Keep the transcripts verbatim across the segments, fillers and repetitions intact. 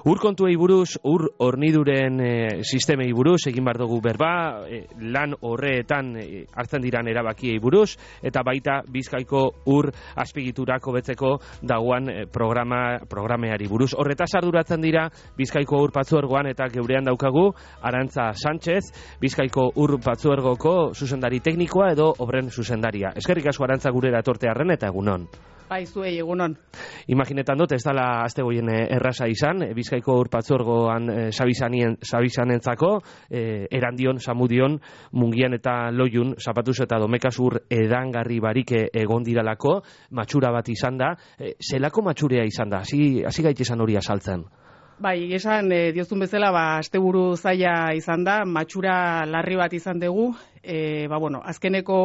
Ur kontuei buruz, ur horniduren e, sistemei buruz, egin behar dugu berba, e, lan horreetan e, hartzen diran erabakiei buruz, eta baita Bizkaiko ur azpigiturak hobetzeko dagoan e, programa, programeari buruz. Horretaz arduratzen dira Bizkaiko ur patzuergoan, eta geurean daukagu Arantza Sánchez, Bizkaiko ur patzuergoko zuzendari teknikoa edo obren zuzendaria. Eskerrik asko Arantza gurera etortearren eta egunon. Bai, zuei egunon. Imaginetan dut, ez dala azte goien erraza izan, Bizkaiko ur patzuergoan e, sabizanentzako, e, erandion, samudion, mungian eta loiun, zapatuz eta domekaz ur edangarri barik egon diralako, matxura bat izan da. E, zelako matxurea izan da? Hasi, hasi gaitezan hori azaltzen. Bai, esan e, diozun bezala, ba, asteburu zaila izan da, matxura larri bat izan dugu, e, ba, bueno, azkeneko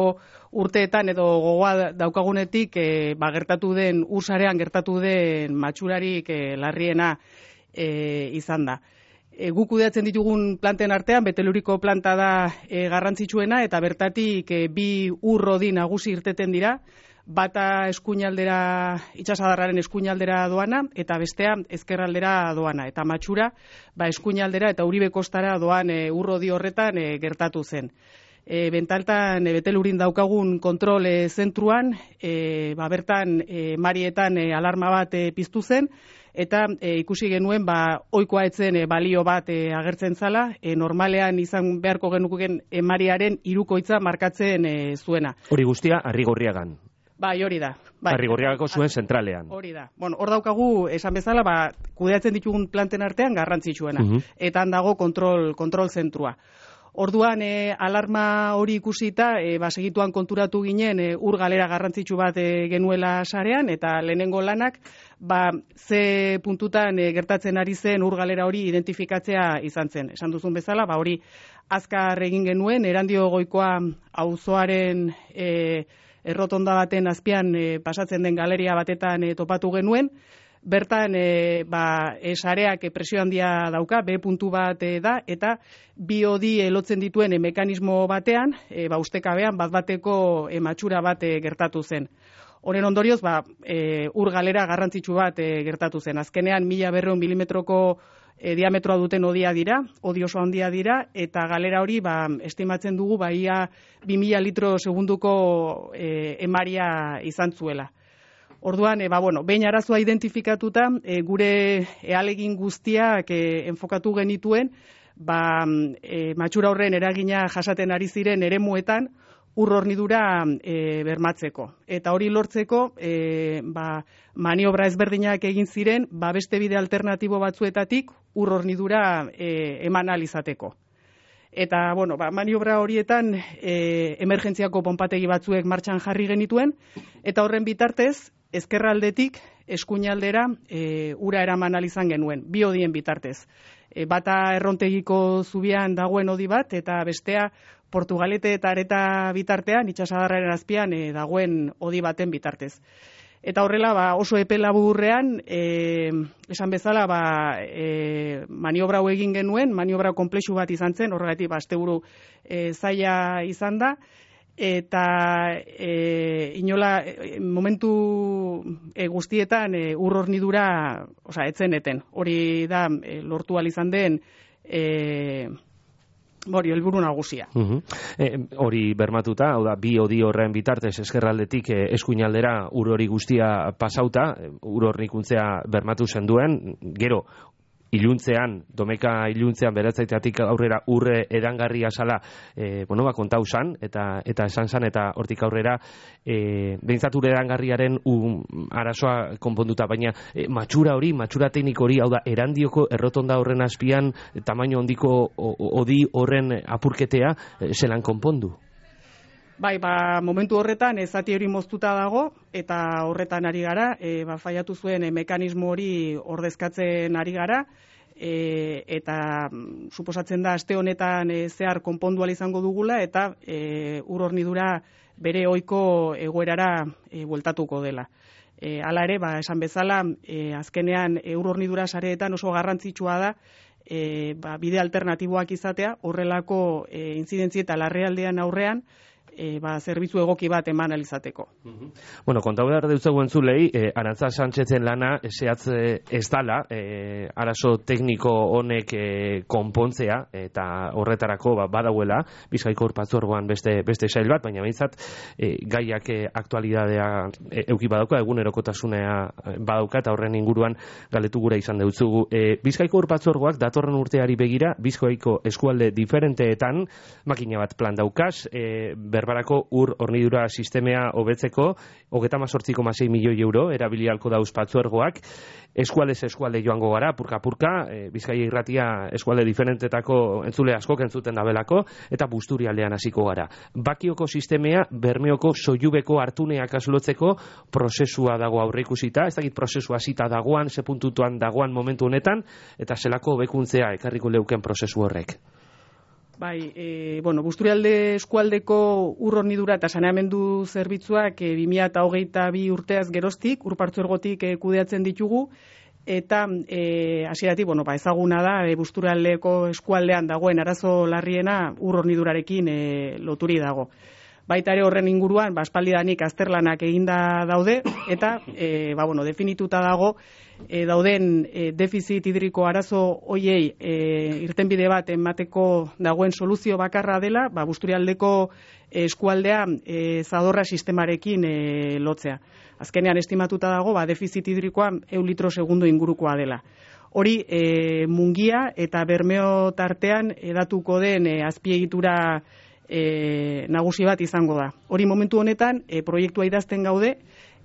urteetan edo gogoa daukagunetik e, ba, gertatu den, ursarean gertatu den matxurarik e, larriena e, izan da. E, guk kudeatzen ditugun planten artean, Beteluriko planta da e, garrantzitsuena, eta bertatik e, bi urrodi nagusi irteten dira, bata eskuinaldera, itsasadarraren eskuinaldera doana, eta bestea ezkerraldera doana. Eta matxura, ba, eskuinaldera eta Uribe kostara doan e, urrodi horretan e, gertatu zen. E, bentaltan, e, Betelurin daukagun kontrol e, zentruan, e, ba, bertan e, marietan e, alarma bat e, piztu zen, eta e, ikusi genuen ba, ohikoa etzen e, balio bat e, agertzen zala, e, normalean izan beharko genuken e, mariaren hirukoitza markatzen e, zuena. Hori guztia Arrigorriagan. Bai, hori da. Bai. Arrigorriagako zuen zentralean. Hori da. Bueno, hor daukagu, esan bezala, ba, kudeatzen ditugun planten artean garrantzitsuena. Uh -huh. Eta dago kontrol, kontrol zentrua. Orduan, e, alarma hori ikusita, e, ba, segituan konturatu ginen e, ur galera garrantzitsu bat e, genuela sarean, eta lehenengo lanak, ba, ze puntutan e, gertatzen ari zen ur galera hori identifikatzea izan zen. Esan duzun bezala, ba, hori azkar egin genuen, Erandio Goikoa auzoaren e, errotonda baten azpian e, pasatzen den galeria batetan e, topatu genuen. Bertan, e, ba, e, sareak e, presio handia dauka, B puntu bat e, da, eta bi hodi e, lotzen dituen e, mekanismo batean, e, ba, ustekabean bat bateko e, matxura bat e, gertatu zen. Horen ondorioz, ba, e, ur galera garrantzitsu bat e, gertatu zen. Azkenean, mila berreun milimetroko e, diametroa duten hodia dira, hodi oso handia dira, eta galera hori, ba, estimatzen dugu, ba, ia bi mila litro segunduko e, emaria izan zuela. Orduan, e, ba, bueno, behin arazoa identifikatuta, e, gure ealegin guztiak e, enfokatu genituen, ba, e, matxura horren eragina jasaten ari ziren eremuetan, ur hornidura e, bermatzeko. Eta hori lortzeko, e, ba, maniobra ezberdinak egin ziren, ba, beste bide alternatibo batzuetatik ur hornidura e, eman ahal izateko. Eta, bueno, ba, maniobra horietan e, emergentziako ponpategi batzuek martxan jarri genituen, eta horren bitartez, ezkerraldetik eskuinaldera e, ura eraman ahal izan genuen, bi hodien bitartez. E, bata errontegiko zubian dagoen hodi bat, eta bestea Portugalete eta Areta bitartean, itsasadarraren azpian e, dagoen hodi baten bitartez. Eta horrela, ba, oso epe laburrean, e, esan bezala, ba, e, maniobra hau egin genuen, maniobra konplexu bat izan zen, horregatik, ba, asteburu e, zaila izan da, eta e, inola, e, momentu e, guztietan e, ur hornidura, osea, etzeneten. Hori da, e, lortu ahal izan den, e, hori, helburu nagusia. Uh-huh. e, hori bermatuta, hau da, bi hodi horren bitartez eskerraldetik e, eskuinaldera ur hori guztia pasauta, ur hornikuntzea bermatu zen duen, gero, iluntzean, domeka iluntzean beratzaiteatik aurrera urre edangarria zala, e, bueno, ba, kontau zan, eta, eta esan zan, eta hortik aurrera, e, behintzat urre edangarriaren um, arazoa konponduta, baina e, matxura hori, matxura tekniko hori, hau da, Erandioko errotonda horren azpian, tamaino handiko hodi horren apurketea, e, zelan konpondu? Bai, ba, momentu horretan ezati hori moztuta dago, eta horretan ari gara, e, ba, faiatu zuen e, mekanismo hori ordezkatzen ari gara, e, eta mm, suposatzen da aste honetan e, zehar konpondu ahal izango dugula, eta e, ur hornidura bere ohiko egoerara e, bueltatuko dela. E, hala ere, ba, esan bezala, e, azkenean e, ur hornidura sareetan oso garrantzitsua da, e, ba, bide alternatiboak izatea, horrelako e, intzidentzi eta larrialdean aurrean, e, ba, zerbitzu egoki bat eman alizateko. Bueno, kontau behar deutzegu entzulei, eh, Arantza Sánchezen lana zehatz ez dala, eh, arazo tekniko honek eh, konpontzea, eta horretarako ba, badauela, Bizkaiko Ur Partzuergoan beste, beste sail bat, baina behintzat eh, gaiak eh, aktualidadea eh, euki badauka, egunerokotasunea eh, badauka, eta horren inguruan galetu gura izan deutzugu. Eh, Bizkaiko Ur Partzuergoak datorren urteari begira, Bizkaiko eskualde diferenteetan makina bat plan daukaz, eh, berbarako ur hornidura sistemea hobetzeko, hogeita hamazortzi koma sei milioi euro erabili ahalko dauz Partzuergoak, eskualdez eskualde joango gara, purka-purka, e, Bizkaia irratia eskualde diferentetako entzule askok entzuten dabelako, eta Busturialdean hasiko gara. Bakioko sistemea, Bermeoko soilubeko hartuneak aslotzeko prozesua dago aurreikusita, ez dakit prozesua hasita dagoan, ze puntutuan dagoan momentu honetan, eta zelako bekuntzea ekarriko leuken prozesu horrek. Bai, e, bueno, Busturialde eskualdeko ur hornidura eta saneamendu zerbitzuak e, bi mila hogeita bi urteaz geroztik, Ur Partzuergotik e, kudeatzen ditugu, eta e, hasieratik, bueno, ba, ezaguna da, e, Busturialdeko eskualdean dagoen arazo larriena ur hornidurarekin e, loturi dago. Baita ere horren inguruan, ba, aspaldidanik azterlanak eginda daude, eta e, ba, bueno, definituta dago, e, dauden e, defizit hidriko arazo hoiei e, irtenbide bat emateko dagoen soluzio bakarra dela, ba, Busturialdeko eskualdea e, zadorra sistemarekin e, lotzea. Azkenean estimatuta dago, ba, defizit hidrikoa ehun litro segundo ingurukoa dela. Hori e, Mungia eta Bermeo tartean edatuko den e, azpiegitura E, nagusi bat izango da. Hori momentu honetan e, proiektua idazten gaude,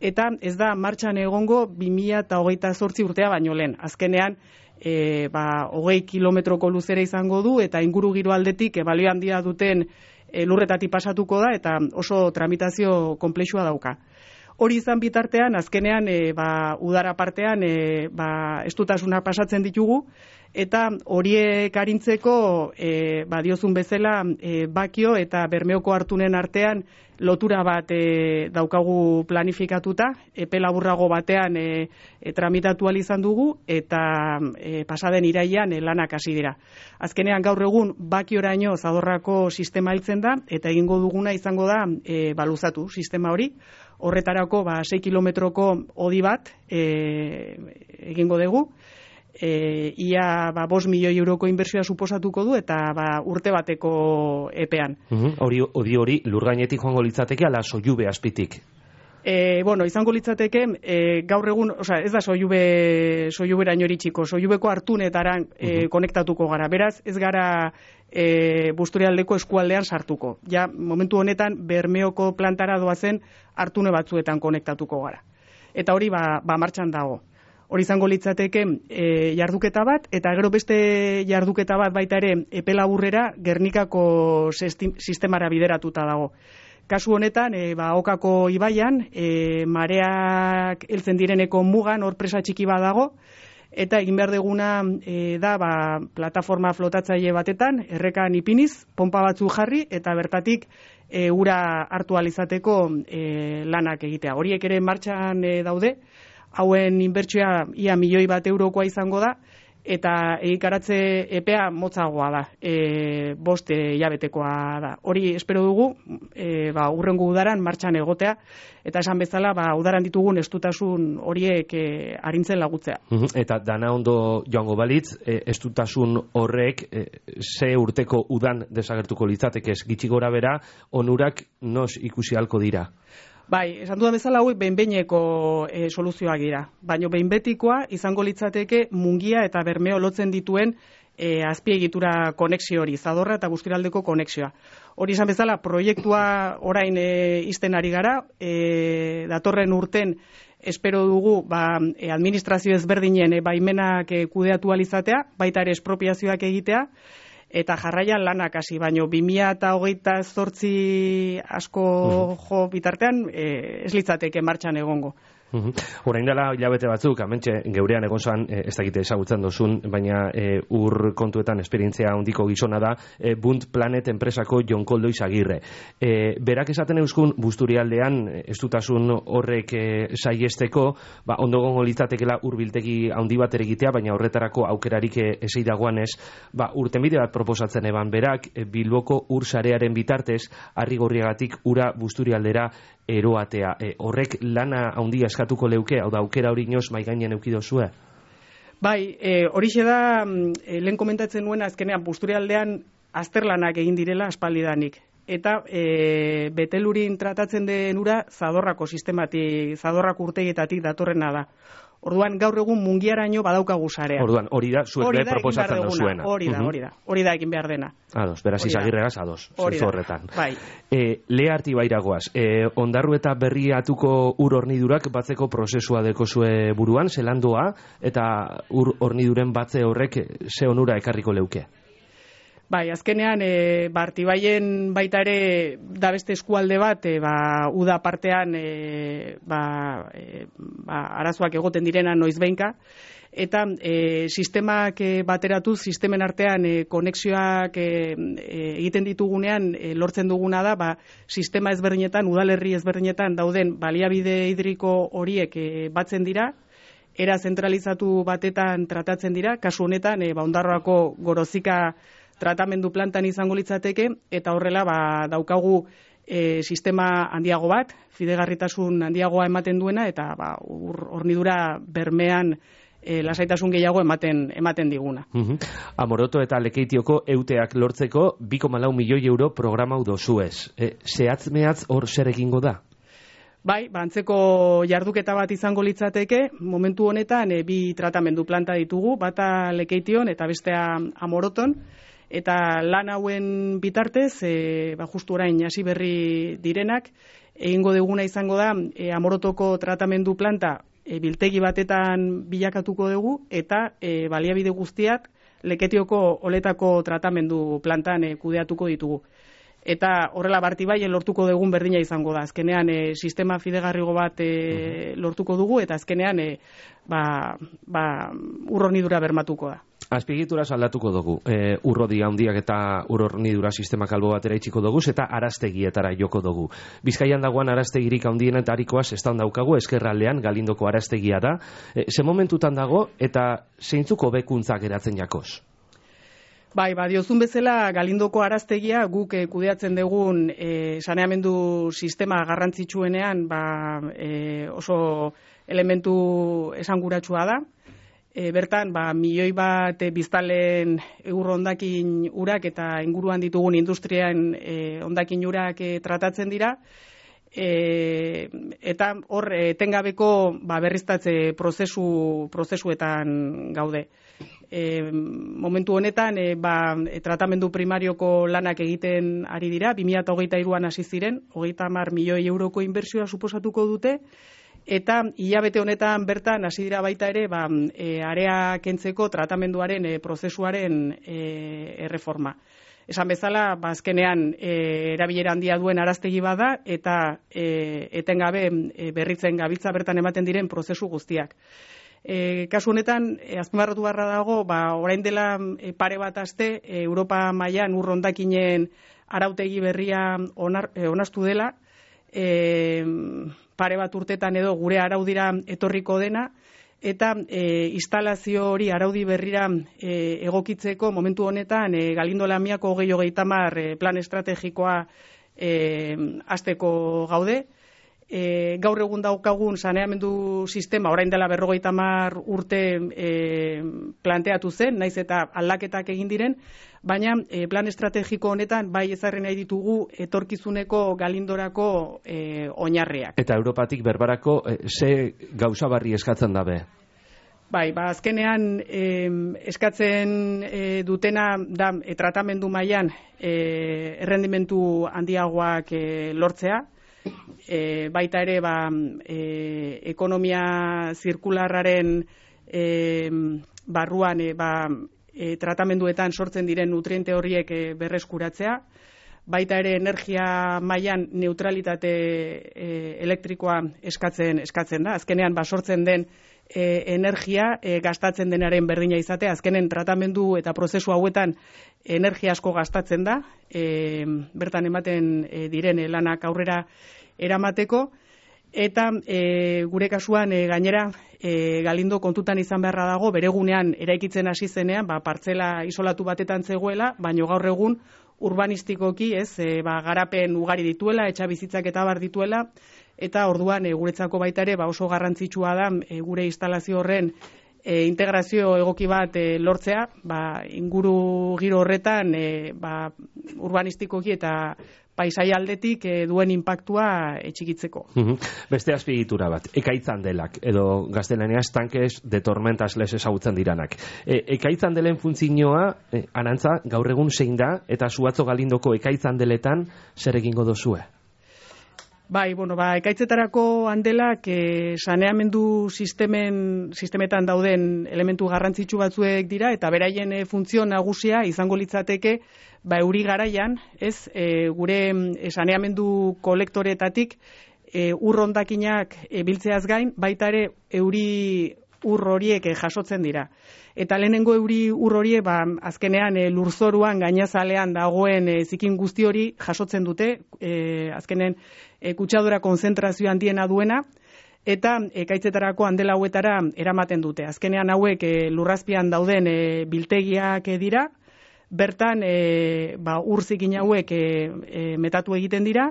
eta ez da martxan egongo bi mila hogeita zortzi urtea baino lehen. Azkenean, e, ba, hogei kilometroko luzera izango du, eta inguru giro aldetik e, balio handia duten e, lurretatik pasatuko da, eta oso tramitazio konplexua dauka. Hori izan bitartean, azkenean, e, ba, udara partean, e, ba, estutasuna pasatzen ditugu, eta horiek arintzeko, e, ba, diozun bezala, e, Bakio eta Bermeoko hartunen artean lotura bat e, daukagu planifikatuta, epe laburrago batean e, e, tramitatu ahal izan dugu, eta e, pasaden irailean e, lanak hasi dira. Azkenean gaur egun Bakioraino zadorrako sistema heltzen da, eta egingo duguna izango da e, baluzatu sistema hori. Horretarako ba, sei kilometroko hodi bat e, egingo dugu. E, ia ba, bost milioi euroko inbertsioa suposatuko du, eta ba, urte bateko epean. Hori uh-huh. hori hori lurgainetik joango litzateke ala soilube azpitik? E, bueno, izango litzateke, e, gaur egun, osea, ez da soilube soiluberaino iritsiko, soilubeko hartunetaran e, uh-huh. konektatuko gara. Beraz, ez gara e, Busturialdeko eskualdean sartuko. Ja, momentu honetan, Bermeoko plantara doazen hartune batzuetan konektatuko gara. Eta hori ba, ba martxan dago. Hori izango litzateke e, jarduketa bat, eta gero beste jarduketa bat baita ere epe laburrera Gernikako sistemara bideratuta dago. Kasu honetan, e, ba, Okako ibaian, e, mareak heltzen direneko mugan hor presa txiki bat dago, eta egin behar deguna e, da ba, plataforma flotatzaile batetan, errekan ipiniz, pompa batzu jarri, eta bertatik e, ura hartu ahal izateko e, lanak egitea. Horiek ere martxan e, daude, hauen inbertsioa ia milioi bat eurokoa izango da, eta egikaratze epea motzagoa da, e, bost hilabetekoa da. Hori espero dugu, e, ba, urrengo udaran martxan egotea, eta esan bezala, ba, udaran ditugun estutasun horiek e, arintzen lagutzea. Eta dana ondo joango balitz, e, estutasun horrek e, ze urteko udan desagertuko litzateke, gitxi gora bera, onurak nos ikusi halko dira? Bai, esan dudan bezala hauek behinbeineko e, soluzioak dira. Baina behinbetikoa izango litzateke Mungia eta Bermeo lotzen dituen e, azpiegitura konexio hori, Zadorra eta Busturialdeko konexioa. Hori izan bezala, proiektua orain e, izten ari gara, e, datorren urten espero dugu ba, e, administrazio ezberdinen e, baimenak e, kudeatu alizatea, baita ere espropiazioak egitea, eta jarraian lanak hasi, baino bi mila hogeita zortzi asko jo bitartean e, ez litzateke martxan egongo. Orain dela hilabete batzuk, amentxe geurean egon zan, ez dakite ezagutzen dozun, baina e, ur kontuetan esperientzia handiko gizona da, e, Bunt Planet enpresako Jon Koldo Izagirre. E, berak esaten euskun, Busturialdean, ez dutasun horrek e, saiesteko, ba, ondo gongo litzatekela urbiltegi handi bat egitea, baina horretarako aukerarik esei dagoan ez, ba, urtenbide bat proposatzen eban berak, e, Bilboko ur sarearen bitartez, Arrigorriagatik ura Busturialdera eroatea. E, horrek lana handia eskatuko leuke, hau da, aukera hori inoz maigainen eukido zue? Bai, e, horixe da, e, lehen komentatzen nuen azkenean, Busturialdean azterlanak egin direla aspaldidanik. Eta e, betelurin tratatzen den ura zadorrako sistematik, zadorrako urtegietatik datorrena da. Orduan, gaur egun mungiaraino badaukagu sarea. Orduan, hori da, zuek be proposatzen dozuena. Hori da, hori da, hori da egin behar dena. Ados, beraz Izagirregaz, ados, zenzu horretan. Bai. E, Lea Artibairagoaz, e, ondarru eta berriatuko ur hornidurak batzeko prozesua dekozue buruan, zelandoa, eta ur horniduren batze horrek ze onura ekarriko leuke? Bai, azkenean, e, ba, Artibaien baita ere da beste eskualde bat, e, ba, uda partean e, ba, e, ba, arazoak egoten direna noiz behinka, eta e, sistemak e, bateratuz, sistemen artean e, konexioak e, e, egiten ditugunean e, lortzen duguna da, ba, sistema ezberdinetan, udalerri ezberdinetan dauden baliabide hidriko horiek e, batzen dira, era zentralizatu batetan tratatzen dira, kasu honetan, e, ba, Ondarroako Gorozika tratamendu plantan izango litzateke, eta horrela ba, daukagu e, sistema handiago bat, fidegarritasun handiagoa ematen duena, eta ba, ur, hornidura bermean e, lasaitasun gehiago ematen ematen diguna. Uh-huh. Amoroto eta Lekeitioko euteak lortzeko bi koma lau milioi euro programa dozuez. E, zehatz mehatz hor zer egingo da? Bai, ba, antzeko jarduketa bat izango litzateke, momentu honetan e, bi tratamendu planta ditugu, bata Lekeition eta bestea Amoroton, eta lan hauen bitartez, e, ba, justu orain hasi berri direnak, egingo duguna izango da, e, Amorotoko tratamendu planta e, biltegi batetan bilakatuko dugu, eta e, baliabide guztiak Leketioko oletako tratamendu plantan e, kudeatuko ditugu. Eta horrela Artibaien lortuko dugun berdina izango da. Azkenean e, sistema fidegarrigo bat e, lortuko dugu, eta azkenean e, ba, ba, urronidura bermatuko da. Azpiegitura aldatuko dugu, e, urrodi handiak eta urronidura sistemak albo batera itxiko dugu, eta araztegietara joko dugu. Bizkaian dagoan araztegirik handiena eta harikoaz ez da daukagu, eskerraldean Galindoko araztegia da. E, ze momentutan dago eta zeintzuko bekuntzak eratzen jakoz? Bai, ba, diozun bezala Galindoko araztegia guk e, kudeatzen dugun e, saneamendu sistema garrantzitsuenean ba, e, oso elementu esanguratsua da. E, bertan, ba, milioi bat e, biztalen eur hondakin urak eta inguruan ditugun industrian e, hondakin urak e, tratatzen dira. E, eta hor etengabeko ba, berriztatze prozesu, prozesuetan gaude. E, momentu honetan e, ba, e, tratamendu primarioko lanak egiten ari dira, bi mila hogeita hiruan hasi ziren, hogeita hamar milioi euroko inbertsioa suposatuko dute, eta hilabete honetan bertan hasi dira baita ere ba, e, area kentzeko tratamenduaren e, prozesuaren e, erreforma. Esan bezala, ba, azkenean e, erabilera handia duen araztegi bada, eta e, etengabe e, berritzen gabiltza bertan ematen diren prozesu guztiak. E, kasu honetan, e, azpimarratu barra dago, ba, orain dela e, pare bat aste, e, Europa mailan ur hondakinen arautegi berria onar, e, onastu dela, e, pare bat urtetan edo gure araudira etorriko dena, eta e, instalazio hori araudi berrira e, egokitzeko momentu honetan e, Galindo Lamiako hogei hogeita hamar e, plan estrategikoa e, hasteko gaude. E, gaur egun daukagun saneamendu sistema orain dela berrogeita hamar urte e, planteatu zen, naiz eta aldaketak egin diren, baina e, plan estrategiko honetan bai ezarri nahi ditugu etorkizuneko Galindorako e, oinarriak. Eta Europatik berbarako e, ze gauza barri eskatzen dabe? Bai, ba, azkenean e, eskatzen e, dutena da e, tratamendu mailan e, errendimentu handiagoak e, lortzea, E, baita ere ba, e, ekonomia zirkularraren e, barruan e, ba, e, tratamenduetan sortzen diren nutriente horiek e, berreskuratzea, baita ere energia mailan neutralitate e, elektrikoa eskatzen eskatzen da. Azkenean basortzen den e, energia e, gastatzen denaren berdina izatea. Azkenen tratamendu eta prozesu hauetan energia asko gastatzen da, e, bertan ematen e, diren lanak aurrera eramateko, eta e, gure kasuan e, gainera e, Galindo kontutan izan beharra dago, beregunean eraikitzen hasi zenean, ba, partzela isolatu batetan zegoela, baino gaur egun urbanistikoki, ez, e, ba, garapen ugari dituela, etxabizitzak eta bar dituela, eta orduan e, guretzako baita ere ba, oso garrantzitsua da e, gure instalazio horren e, integrazio egoki bat e, lortzea, ba, inguru giro horretan e, ba, urbanistikoki eta paisai aldetik e, duen inpaktua etxikitzeko. Beste azpiegitura bat, ekaitzandelak, edo gaztelaniaz tankes de tormentas les ezagutzen diranak. E, ekaitzandelen funtzioa, e, arantza, gaur egun zein da, eta Zuatzo Galindoko ekaitzandeletan zer egingo dozue? Bai, bueno, ba, ekaitzetarako handelak e, saneamendu sistemen, sistemetan dauden elementu garrantzitsu batzuek dira, eta beraien e, funtzio nagusia izango litzateke, ba, euri garaian, ez, e, gure e, saneamendu kolektoretatik e, ur hondakinak e, biltzeaz gain, baita ere euri ur horiek e, jasotzen dira. Eta lehenengo euri ur horiek, ba, azkenean e, lurzoruan gainazalean dagoen e, zikin guzti hori jasotzen dute, e, azkenen e, kutsadura konzentrazio handiena duena, eta ekaitzetarako handela hauetara eramaten dute. Azkenean hauek e, lurrazpian dauden e, biltegiak e, dira, bertan e, ba, ur zikin hauek e, e, metatu egiten dira,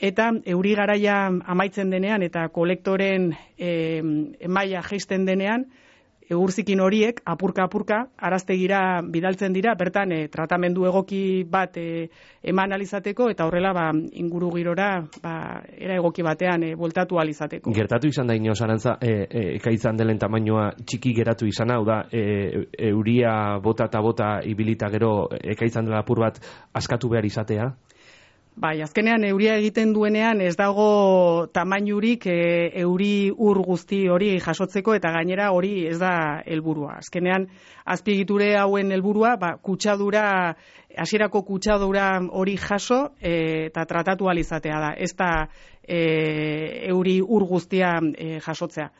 eta euri garaia amaitzen denean eta kolektoren e, maila jaisten denean, urzikin horiek, apurka-apurka, araztegira bidaltzen dira, bertan e, tratamendu egoki bat e, eman alizateko, eta horrela ba, inguru girora ba, era egoki batean e, voltatu alizateko. Gertatu izan da inoz, Arantza, e, e, ekaitzan delen tamainoa txiki geratu izan hau da, e, euria bota eta bota ibilita gero ekaitzan dela apur bat askatu behar izatea? Bai, azkenean euria egiten duenean ez dago tamainurik e, euri ur guzti hori jasotzeko, eta gainera hori ez da helburua. Azkenean azpiegiture hauen helburua, ba, kutsadura, hasierako kutsadura hori jaso e, eta tratatu ahal izatea da. Ez da e, euri ur guztia e, jasotzea.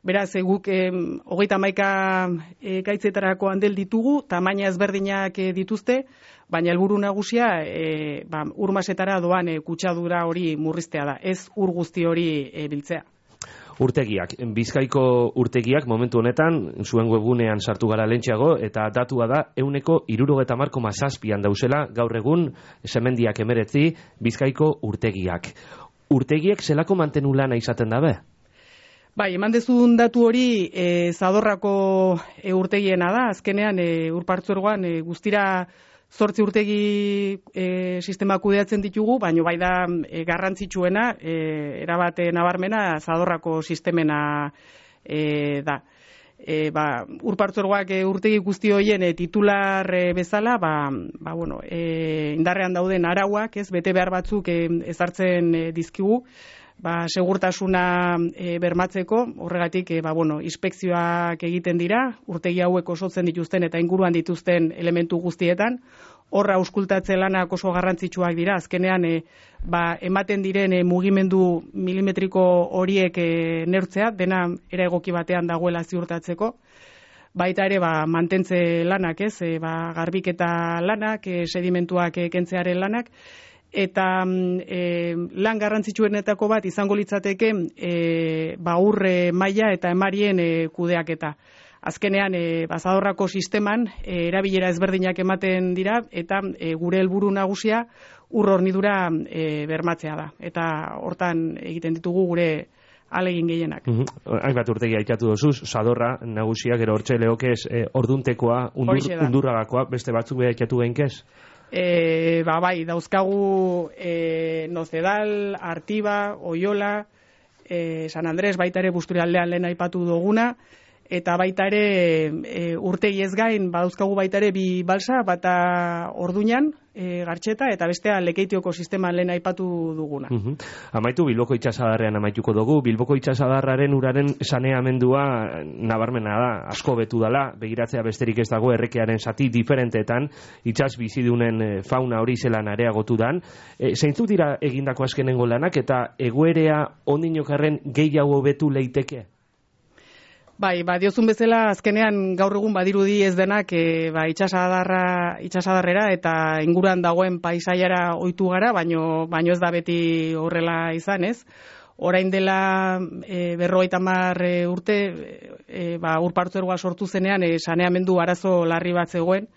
Beraz, guk e, hogeita hamaika e, gaitzetarako handel ditugu, tamaina ezberdinak e, dituzte, baina helburu nagusia e, ba, urmasetara doan e, kutsadura hori murriztea da, ez ur guzti hori e, biltzea. Urtegiak, Bizkaiko urtegiak momentu honetan zuen webgunean sartu gara lentxeago, eta datua da ehuneko hirurogeita hamar koma zazpian dauzela gaur egun semendiak emeretzi Bizkaiko urtegiak. Urtegiek zelako mantenu lana izaten dabe? Bai, eman dezun datu hori e, Zadorrako e, urtegiena da, azkenean e, urpartzuergoan e, guztira zortzi urtegi e, sistema kudeatzen ditugu, baina bai da e, garrantzitsuena, e, erabate nabarmena Zadorrako sistemena e, da. E, ba, urpartzuergoak e, urtegi guzti horien e, titular e, bezala, ba, ba, bueno, e, indarrean dauden arauak, ez, bete behar batzuk e, ezartzen e, dizkigu, ba, segurtasuna e, bermatzeko, horregatik e, ba, bueno, inspekzioak egiten dira, urtegi hauek osotzen dituzten eta inguruan dituzten elementu guztietan, horra auskultatze lanak oso garrantzitsuak dira, azkenean e, ba, ematen diren e, mugimendu milimetriko horiek e, neurtzea, dena era egoki batean dagoela ziurtatzeko, baita ere ba, mantentze lanak, ez, e, ba, garbiketa lanak, e, sedimentuak e, kentzearen lanak, eta e, lan garrantzitsuenetako bat izango litzateke e, ba, urre maila eta emarien e, kudeaketa. Azkenean, e, Zadorrako sisteman e, erabilera ezberdinak ematen dira, eta e, gure helburu nagusia ur hornidura e, bermatzea da. Eta hortan egiten ditugu gure alegin gehienak. Mm -hmm. Hainbat urtegi aitatu dozuz, Zadorra nagusia, gero hortxe lehokez, e, orduntekoa, undur, undurragakoa, beste batzuk beha aitatu behinkez? E, ba, bai, dauzkagu e, Nozedal, Artiba, Oiola, e, San Andres, baita ere Busturialdean lehen aipatu duguna, eta baita ere e, urtegi ez gain, badauzkagu baita ere bi balsa, bata Orduñan, e, Gartxeta, eta bestea Lekeitioko sistema lehen aipatu duguna. Uh-huh. Amaitu Bilboko itsasadarrean amaituko dugu. Bilboko itsasadarraren uraren saneamendua nabarmena da, asko betu dala, begiratzea besterik ez dago errekearen zati diferenteetan, itsas bizidunen fauna hori zelan areagotu dan. E, zeintzuk dira egindako azkenengo lanak eta egoerea ondinokarren gehiago betu leiteke? Bai, ba, diozun bezala azkenean gaur egun badirudi ez denak e, ba, itxasadarra, itxasadarrera eta inguruan dagoen paisaiara ohitu gara, baino, baino ez da beti horrela izan, ez? Orain dela e, berrogeita hamar e, urte e, ba, urpartzergoa sortu zenean e, saneamendu arazo larri bat zegoen.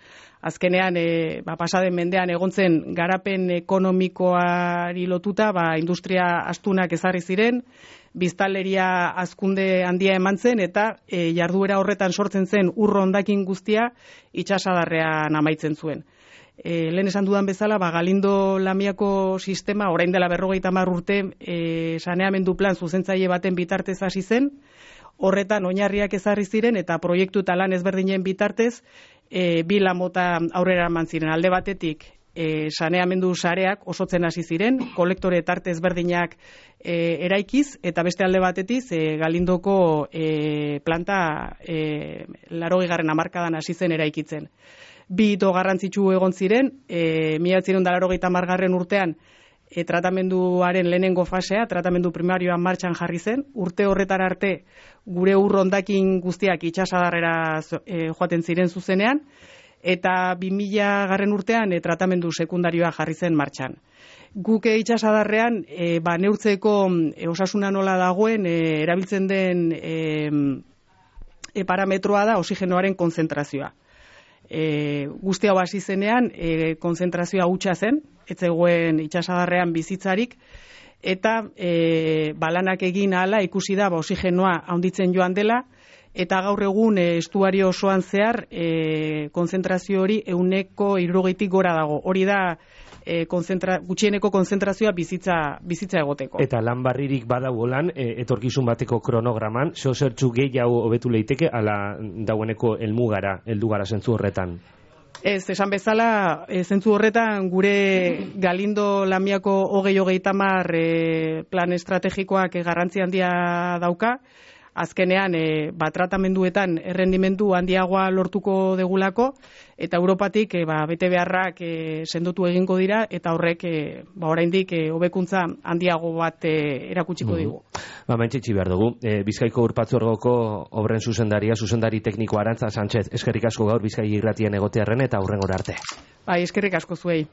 Azkenean, e, ba, pasaden mendean egontzen garapen ekonomikoari lotuta, ba, industria astunak ezarri ziren, biztanleria hazkunde handia eman zen eta e, jarduera horretan sortzen zen ur hondakin guztia itsasadarrean amaitzen zuen. E, lehen esan dudan bezala, ba, Galindo Lamiako sistema orain dela berrogeita hamar urte e, saneamendu plan zuzentzaile baten bitartez hasi zen, horretan oinarriak ezarri ziren eta proiektu eta lan ezberdinen bitartez e, bi lan mota aurrera eman ziren. Alde batetik E, saneamendu sareak osotzen hasi ziren, kolektore tarte ezberdinak e, eraikiz, eta beste alde batetiz e, Galindoko e, planta e, laurogeigarren hamarkadan hasi zen eraikitzen. Bi hito garrantzitsu egon ziren, e, mila bederatziehun eta laurogeita hamargarren urtean e, tratamenduaren lehenengo fasea, tratamendu primarioan martxan jarri zen, urte horretar arte gure ur hondakin guztiak itsasadarrera e, joaten ziren zuzenean, eta bi mila garren urtean e, tratamendu sekundarioa jarri zen martxan. Guk itsasadarrean e, ba, neurtzeko e, osasuna nola dagoen e, erabiltzen den e, e, parametroa da oxigenoaren konzentrazioa. E, guzti hau hasi zenean e, konzentrazioa hutsa zen, ez zegoen itsasadarrean bizitzarik, eta e, balanak egin ahala ikusi da ba, oxigenoa handitzen joan dela, eta gaur egun e, estuario osoan zehar e, konzentrazio hori ehuneko hirurogeitik gora dago. Hori da e, konzentra, gutxieneko konzentrazioa bizitza, bizitza egoteko. Eta lan barririk badago lan, e, etorkizun bateko kronograman, zo zertxu gehiago hobetu leiteke, ala daueneko helmugara, heldu gara zentzu horretan? Ez, esan bezala, e, zentzu horretan gure Galindo Lamiako hogei hogeita hamar e, plan estrategikoak e, garrantzi handia dauka. Azkenean, e, ba, tratamenduetan errendimendu handiagoa lortuko degulako, eta Europatik e, ba, bete beharrak e, sendotu egingo dira, eta horrek e, ba, oraindik e, hobekuntza handiago bat e, erakutsiko digu. Ba, mentxetxi behar dugu. E, Bizkaiko Urpatzorgoko obren zuzendaria, zuzendari tekniko Arantza Sánchez, eskerrik asko gaur Bizkai irratien egotearren eta hurrengora arte. Bai, eskerrik asko zuei.